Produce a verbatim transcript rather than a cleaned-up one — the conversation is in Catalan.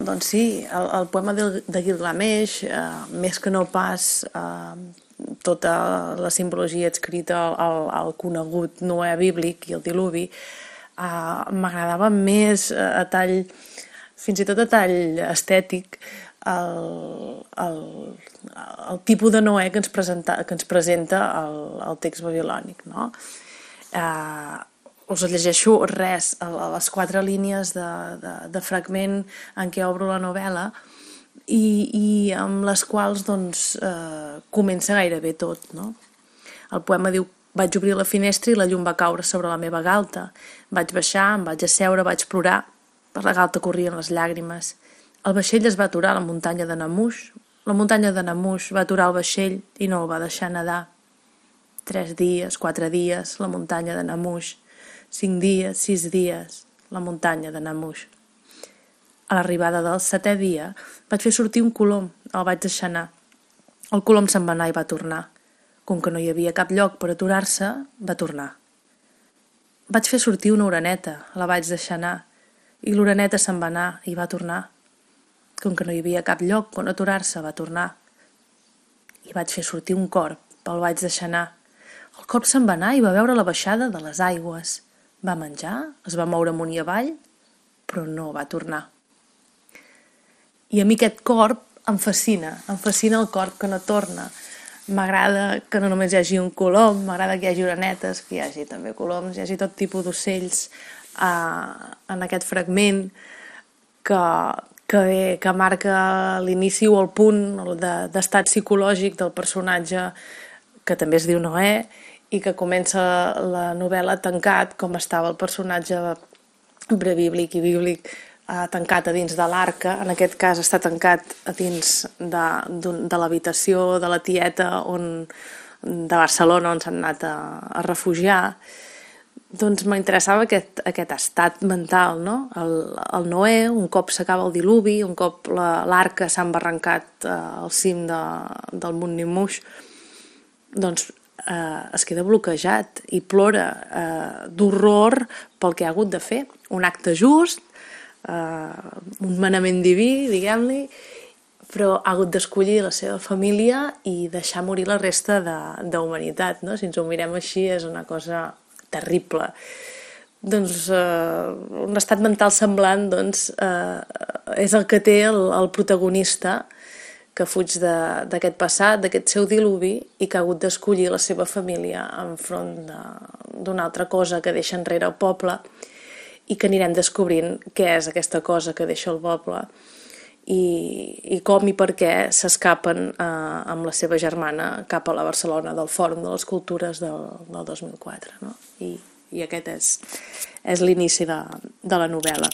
doncs sí, el, el poema de, de Gilgamesh, eh, més que no pas eh, tota la simbologia adscrita al, al, al conegut Noè bíblic i el diluvi, eh, m'agradava més eh, a tall, fins i tot a tall estètic, el, el, el tipus de Noè que ens, presenta, que ens presenta el, el text babilònic, no? Eh, us llegeixo res, a les quatre línies de, de, de fragment en què obro la novel·la i, i amb les quals doncs, eh, comença gairebé tot, no? El poema diu: vaig obrir la finestra i la llum va caure sobre la meva galta. Vaig baixar, em vaig asseure, vaig plorar. Per la galta corrien les llàgrimes. El vaixell es va aturar a la muntanya de Namush. La muntanya de Namush va aturar el vaixell i no el va deixar nedar. Tres dies, quatre dies, la muntanya de Namush. Cinc dies, sis dies, la muntanya de Namush. A l'arribada del setè dia vaig fer sortir un colom, el vaig deixar anar. El colom se'n va anar i va tornar. Com que no hi havia cap lloc per aturar-se, va tornar. Vaig fer sortir una oreneta, la vaig deixar anar, i l'oreneta se'n va anar i va tornar. Com que no hi havia cap lloc on aturar-se, va tornar. I vaig fer sortir un corb, el vaig deixar anar. El corb se'n va anar i va veure la baixada de les aigües. Va menjar, es va moure amunt i avall, però no va tornar. I a mi aquest corb em fascina, em fascina el corb que no torna. M'agrada que no només hi hagi un colom, m'agrada que hi hagi orenetes, que hi hagi també coloms, hi hagi tot tipus d'ocells eh, en aquest fragment que, que, que marca l'inici o el punt d'estat psicològic del personatge que també es diu Noè, i que comença la novel·la tancat, com estava el personatge prebíblic i bíblic, eh, tancat a dins de l'arca. En aquest cas està tancat a dins de, de l'habitació de la tieta on, de Barcelona, on s'han anat a, a refugiar. Doncs m'interessava aquest, aquest estat mental, no? El, el Noè, un cop s'acaba el diluvi, un cop l'arca s'ha embarrancat eh, al cim de, del Mont Nimush, doncs eh, es queda bloquejat i plora eh, d'horror pel que ha hagut de fer. Un acte just, eh, un manament diví, diguem-li, però ha hagut d'escollir la seva família i deixar morir la resta d'humanitat, no? Si ens ho mirem així és una cosa terrible. Doncs eh, un estat mental semblant doncs, eh, és el que té el, el protagonista, que fuig d'aquest passat, d'aquest seu diluvi, i que ha hagut d'escollir la seva família enfront d'una altra cosa que deixa enrere el poble, i que anirem descobrint què és aquesta cosa que deixa el poble i, i com i per què s'escapen eh, amb la seva germana cap a la Barcelona del Fòrum de les Cultures del, del dos mil quatre, no? I, i aquest és, és l'inici de, de la novel·la.